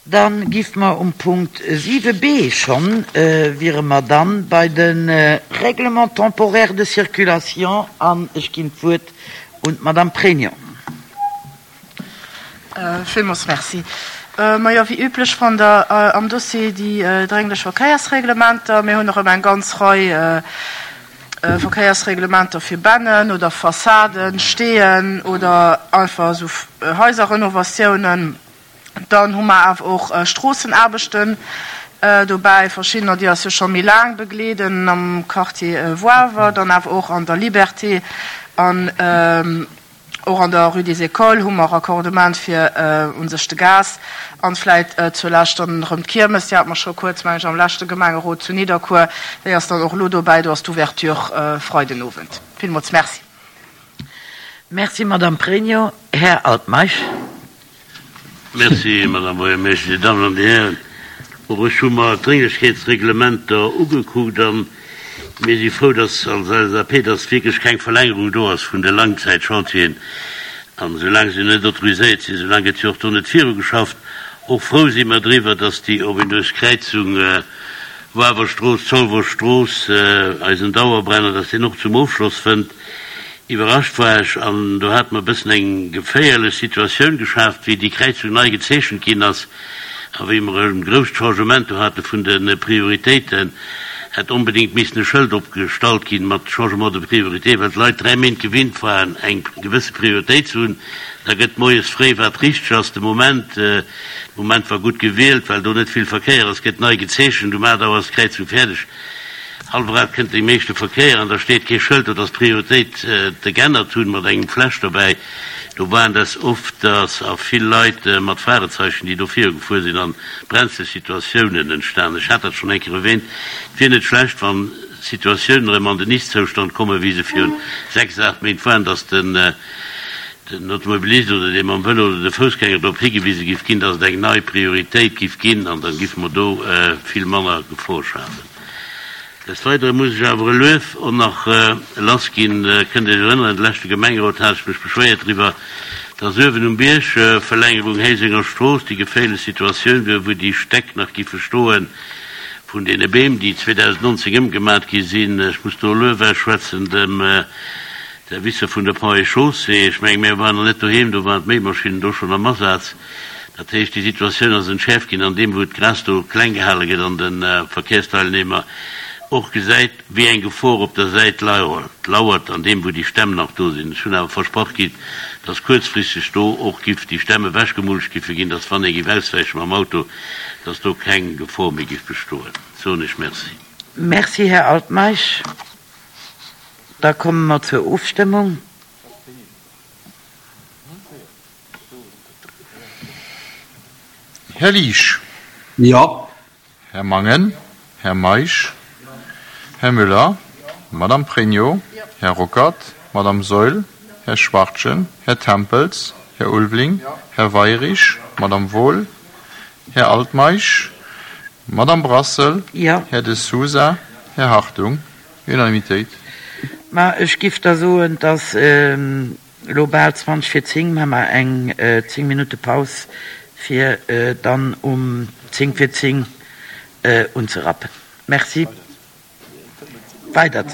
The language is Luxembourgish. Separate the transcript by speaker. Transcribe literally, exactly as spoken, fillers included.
Speaker 1: Dann giffe mer um Punkt siwe B schonn, wiere mer dann bei de Règlement temporaire de circulation an ech ginn d'Wuert un d'Madame Pregno.
Speaker 2: Villmools Merci. Majo, wéi üblech fannt Der am Dossier déi drénglech Verkéiersreglementer. Mir hunn erëm eng ganz Rei Verkéiersreglementer fir Bennen oder Fassaden, Steeën oder einfach esou Haiserrenovatiounen. Dann hu mer awer och Stroossenaarbechten dobäi, verschiddener, déi eis jo scho méi laang begleeden am Quartier Woawer, dann awer och an der Liberté an och an der Rue des Écoles hu mer Raccordement fir u sech de Gas. An vläit zulescht dann erëm d'Kiermes, déi hate mer scho kuerz, meng ech, am leschte Gemengerot zu Nidderkuer, déi ass dann och elo dobäi, do ass d'Ouverture Freidenowend. Villmools Merci.
Speaker 1: Merci, Madame Pregno. Här Altmeisch.
Speaker 3: Merci, Madame Buergermeeschtesch. Dir Dammen an Dir Hären, och ech hu mer d'Drénglechkeetsreglementer ugekuckt a mir si frou, dass als L S A P, dass wierklech keng Verlängerung do ass vun de Langzäitchantieren. An soulaang se net autoriséiert sinn, soulaang gëtt jo och do net virugeschafft. Och frou si mer driwwer, dass déi ominös Kräizung Wawerstrooss, Zolwer Strooss, eisen Dauerbrenner, dass deen och zum Ofschloss fënnt. Iwwerrascht war ech, an do hate mer e bëssen eng geféierlech Situatioun geschaaft, wéi déi Kräizung nei gezeechent ginn ass a wéi mer e grousst Changement do hate vun de Prioritéiten, hätt onbedéngt missen e Schëld opgestallt ginn mat Changement de priorité, well d'Leit dräi Méint gewinnt waren, eng gewësse Prioritéit ze hunn. Da gëtt moies fréi, wat richteg ass, de Moment, de Moment war gutt gewielt, well do net vill Verkéier ass, gëtt nei gezeechent, um aacht Auer ass d'Kräizung fäerdeg. Hallwer aacht kënnt dee meeschte Verkéier an da steet kee Schëld do, dass d'Prioritéit geännert hunn, mat engem Fläsch dobäi. Do waren des ofters a vill Leit mat Fragezeischen, déi do virugefuer sinn an brenzleg Situatiounen entstanen. Ech hat dat schonn eng Kéier erwähnt. Et wier net schlecht, wann d'Situatiounen erëm an den Ist-Zoustand kommen, wéi se virun sechs, aacht Méint waren, dass den Automobilist oder dee mam Vëlo oder de Foussgänger drop higewise giff ginn, dass et eng nei Prioritéit giff ginn an da giffe mer do vill manner Gefor schafen. Des Weidere muss ech awer e Luef och nach lassginn. Kënnt Iech erënneren, de leschte Gemengerot hat ech mech beschwéiert driwwer, dass uewen um Bierg, Verlängerung Héisenger Strooss, déi geféierlech Situatioun wier, wou déi Stäck nach giffe stoe vun deene Beem, déi zweedausendnonzéng ëmgemat gi sinn. Ech muss do e Luef ausschwätzen dem Servicer vun der Ponts et Chaussées. Ech mengen, mir waren nach net doheem, do waren d'Méimaschinnen do schonn am Asaz. Dat heescht, déi Situatioun ass entschäerft ginn an deem, wou d'Gras do kleng gehale gëtt an de Verkehrsteilnehmer och gesäit, wéi eng Gefor op der Säit lauert, an deem, wou déi Stämm nach do sinn. Ech hunn awer versprach kritt, dass kuerzfristeg do och giff déi Stämm ewechgemulcht giffe ginn, dass, wann ee giff auswäiche mam Auto, dass do keng Gefor méi giff bestoen. Soen ech Merci.
Speaker 1: Merci, Här Altmeisch. Da komme mer zur Ofstëmmung.
Speaker 4: Här Liesch.
Speaker 5: Jo.
Speaker 4: Här Mangen. Här Meisch. Här Müller. Madame Pregno. Här Ruckert. Madame Saeul. Här Schwachtgen. Här Tempels. Här Ulveling. Här Weirich. Madame Wohl. Här Altmeisch. Madame Brassel.
Speaker 1: Jo.
Speaker 4: Här De Sousa. Här Hartung. Unanimitéit.
Speaker 1: Ma ech giff da soen, dass elo bal zwanzeg vir zéng, maache mer eng zéng Minutte Paus, fir dann um zéng vir zéng unzerappen. Merci. Weider.